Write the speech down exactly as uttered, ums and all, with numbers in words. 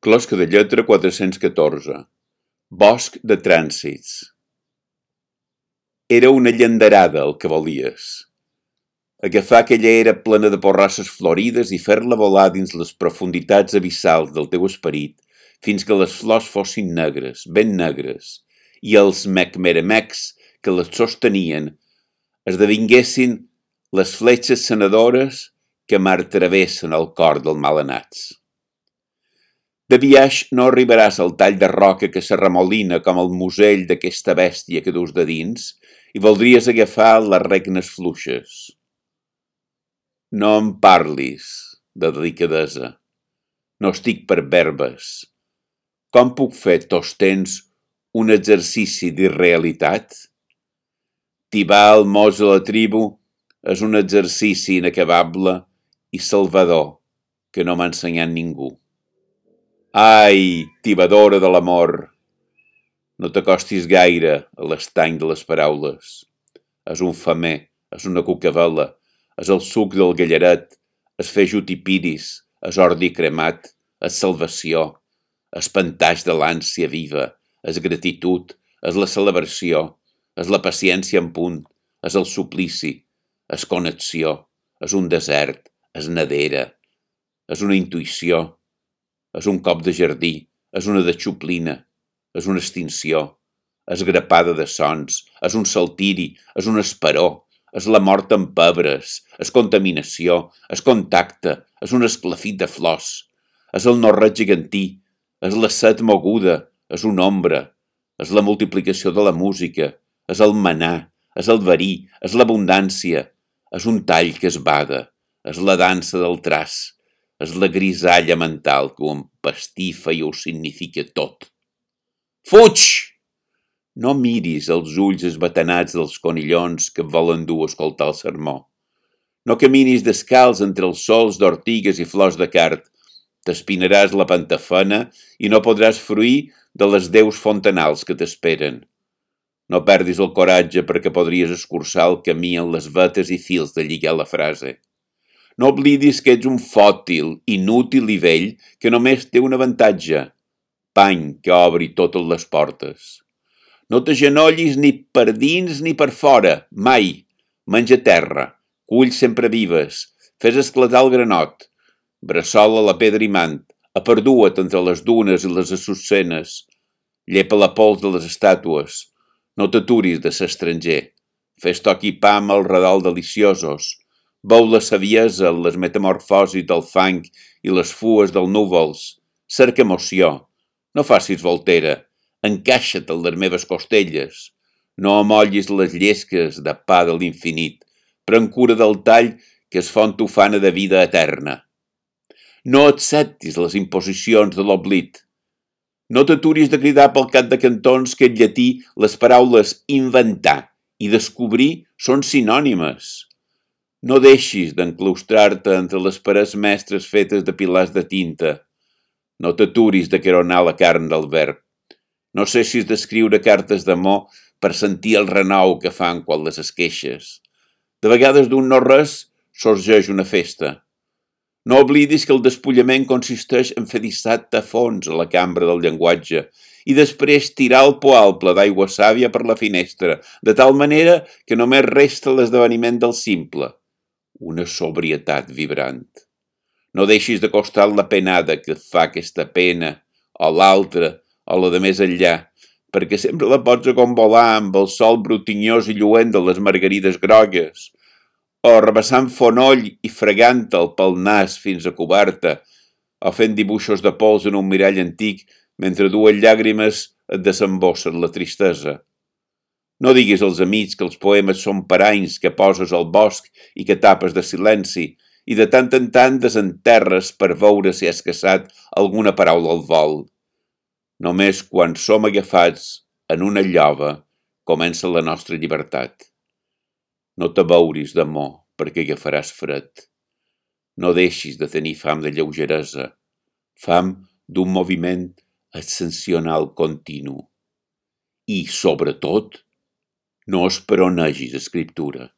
Closca de lletra quatre-cents catorze. Bosc de trànsits. Era una llanderada el que volies. Agafar aquella era plena de porrasses florides i fer-la volar dins les profunditats abissals del teu esperit fins que les flors fossin negres, ben negres, i els mecmeremecs que les sostenien esdevinguessin les fletxes sanadores que martravessen el cor dels malanats. De biaix no arribaràs al tall de roca que s'arremolina com el musell d'aquesta bèstia que dus de dins i voldries agafar les regnes fluixes. No em parlis de delicadesa. No estic per verbes. Com puc fer tots temps un exercici d'irrealitat? Tibar el mos a la tribu és un exercici inacabable i salvador que no m'ha ensenyat ningú. Ai, tibadora de l'amor! No t'acostis gaire a l'estany de les paraules. És un femer, és una cucavela, és el suc del gallaret, és fer jutipiris, és ordi cremat, és salvació, és pantaix de l'ànsia viva, és gratitud, és la celebració, és la paciència en punt, és el suplici, és connexió, és un desert, és nedera, és una intuïció, és un cop de jardí, és una deixoplina, és una extinció, és grapada de sons, és un saltiri, és un esperó, és la mort amb pebres, és contaminació, és contacte, és un esclafit de flors, és el no-res gegantí, és la set moguda, és una ombra, és la multiplicació de la música, és el manar, és el verí, és l'abundància, és un tall que es bada, és la dansa del traç, és la grisalla mental que ho empastifa i ho significa tot. Fuig! No miris els ulls esbatanats dels conillons que et volen dur a escoltar el sermó. No caminis descalç entre els sols d'ortigues i flors de cart. T'espinaràs la pantafena i no podràs fruir de les deus fontanals que t'esperen. No perdis el coratge perquè podries escurçar el camí en les vetes i fils de lligar la frase. No oblidis que ets un fòtil, inútil i vell que només té un avantatge, pany que obri totes les portes. No t'agenollis ni per dins ni per fora, mai. Menja terra, cull sempre vives, fes esclatar el granot, bressola la pedra imant, aperdua't entre les dunes i les assucenes, llepa la pols de les estàtues, no t'aturis de ser estranger, fes toc i pa amb el redol deliciosos, veu la saviesa en les metamorfosis del fang i les fues dels núvols, cerca emoció, no facis voltera, encaixa't en les meves costelles, no amollis les llesques de pa de l'infinit, pren cura del tall que es font ufana de vida eterna. No acceptis les imposicions de l'oblit. No t'aturis de cridar pel cap de cantons que en llatí les paraules inventar i descobrir són sinònimes. No deixis d'enclaustrar-te entre les parets mestres fetes de pilars de tinta. No t'aturis de caronar la carn del verb. No cessis d'escriure cartes d'amor per sentir el renou que fan quan les esqueixes. De vegades d'un no-res sorgeix una festa. No oblidis que el despullament consisteix en fer dissat a fons a la cambra del llenguatge i després tirar el poalple d'aigua sàvia per la finestra, de tal manera que només resta l'esdeveniment del simple. Una sobrietat vibrant. No deixis de costar la penada que et fa aquesta pena, o l'altra, o la de més enllà, perquè sempre la pots acombolar amb el sol brotinyós i lluent de les margarides grogues, o rebassant fonoll i fregant-te'l pel nas fins a coberta, o fent dibuixos de pols en un mirall antic mentre dues llàgrimes et desembossen la tristesa. No diguis als amics que els poemes són paranys que poses al bosc i que tapes de silenci i de tant en tant desenterres per veure si has caçat alguna paraula al vol. Només quan som agafats en una llova comença la nostra llibertat. No t'abeuris d'amor perquè agafaràs fred. No deixis de tenir fam de lleugeresa, fam d'un moviment ascensional continu. I, sobretot, no esperonegis escriptura.